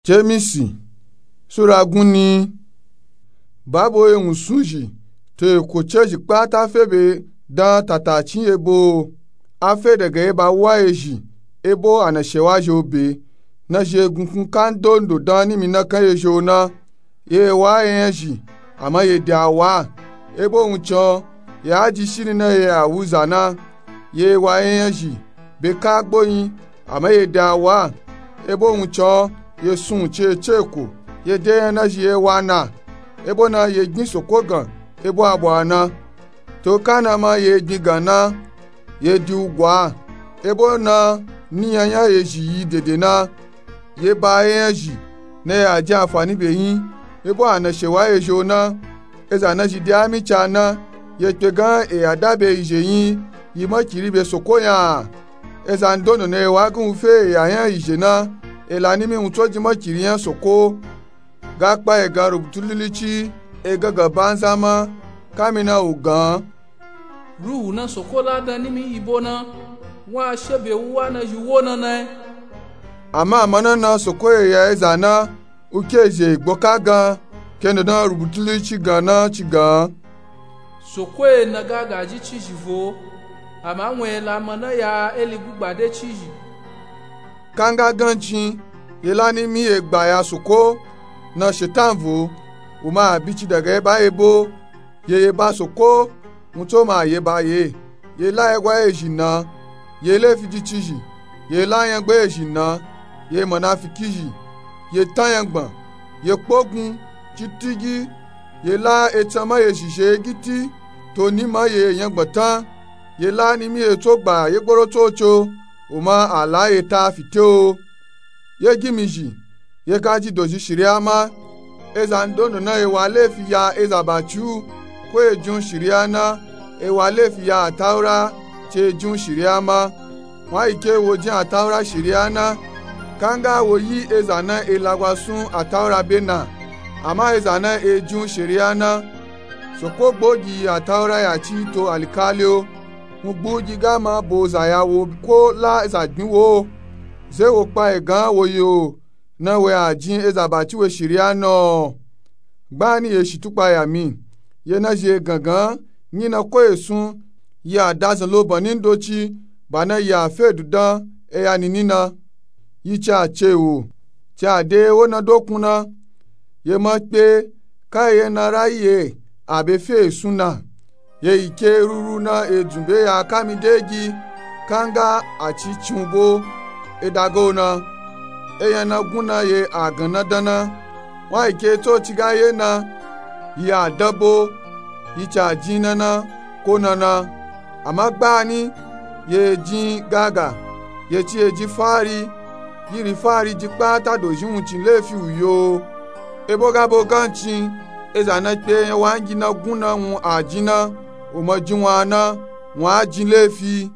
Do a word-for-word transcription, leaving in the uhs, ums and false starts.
Jemisi sura gunni. Babo ye wunsunzhi to eko cezhi kpata fe be dan tatacin yebo. A fe daga ye ba wa yezhi, ebo a na shewa zhi obe. Na zhi egunkun kandondo dan nimi nakan yezhi o na. Ye wa ye yan zhi, ama ye de awa. Ebo wuncin o, ye a ji shiri na ye a wu za na. Ye wa ye yan zhi be ka gbo yin, ama ye de awa. Ebo wuncin o, ye sun wuncin ece eko, ye de yan na zhi ye wa na. Ebo na ye gbin soko gan ebo abo a na. To ka na ma ye gbin gan na, ye di ugwa. Ebo na niyan yan ye zhi yi dede na. Ye ba ye yan zhi na ye a ji anfani be yin. Ebo a na shewa yezhi o na. Eza na zhi de ami ca na, ye kpe gan e ya da be yizhe yin, yi makiri be soko yan. Eza ndondo na ye wa gan wu fe e ya yan yizhe na, e la nimi wun tso ji makiri yan soko. Ga kpa e gan rubutu lilici, e gangan banza ma. Kamina u gan, Ruhu na soko la dan nimi yi bo na, wa a she be wu wa na zhi wo na na e. Ama a ma na na soko ye ya eza na, u ke zhi e gbo ka gan, kendo dan rubutu lilici gan na ci gan. Soko ye na ga gaji cizhi vo, ama wun ye la ma na ya eli gugba de cizhi. Kanga gancin, ye la nimi ye gba ya soko, na shetan vo, u ma a bici daga ye ba ye bo. Ye ye ba soko, wun tso ma ye ba ye. Ye la ye gwa ye zhi na, ye lefi ji cizhi. Ye la yangba ye zhi na, ye manafiki zhi, ye tan yangban, ye kpogun, citigi. Ye la etsan ma ye zhi zhe giti, to ni ma ye yangban tan. Ye la nimi ye tso gba ye gboro tso co, u ma a la ye ta fite o. Ye gimi zhi, ye ka ji dozhi shiriya ma. Eza ndondo na ye wa lefi ya eza baci u, ko ye jin u shiriya na, e wa lefi ya ataura, ci ye jin u shiriya ma. Wun a yi ke wo jin ataura shiriya na, kanga wo yi eza na e lagwa sun ataura be na. Ama eza na e jin u shiriya na, soko gbo gi ataura ya ci to alikali o. Wun gbu gi ga ma bo za ya wo ko la za gbin wo. Ze wo kpa e gan wo yo, na we a jin eza baci we shiriya na o. Gbani ye shi tukpa ya mi, ye na zhi e gangan, nyi na ko ye sun, ye a da zan lo ban ni ndoci, ba na ye a fe dudan e ya nini na. Yi ci a ce wo, ci a de ye wo na dokun na. Ye ma kpe, ka ye na ra yi ye a be fe e sun na. Ye yi ke ruru na e dzun be ya kami de gi, kanga a ci cin u bo, e daga u na. E yan na gun na ye a gan na dan na. Wun a yi ke tso ci ga ye na, yi a dan bo, yi ci a jin na na, ko na na. Ama gbani, ye jin gaga, ye ci ye jin fari, yiri fari ji kpata dozhi wuncin lefi u yo. Ebo ga bo gancin, eza na kpe yan wangi na gun na wun a jin na, u ma jin wun a na, wun a jin lefi.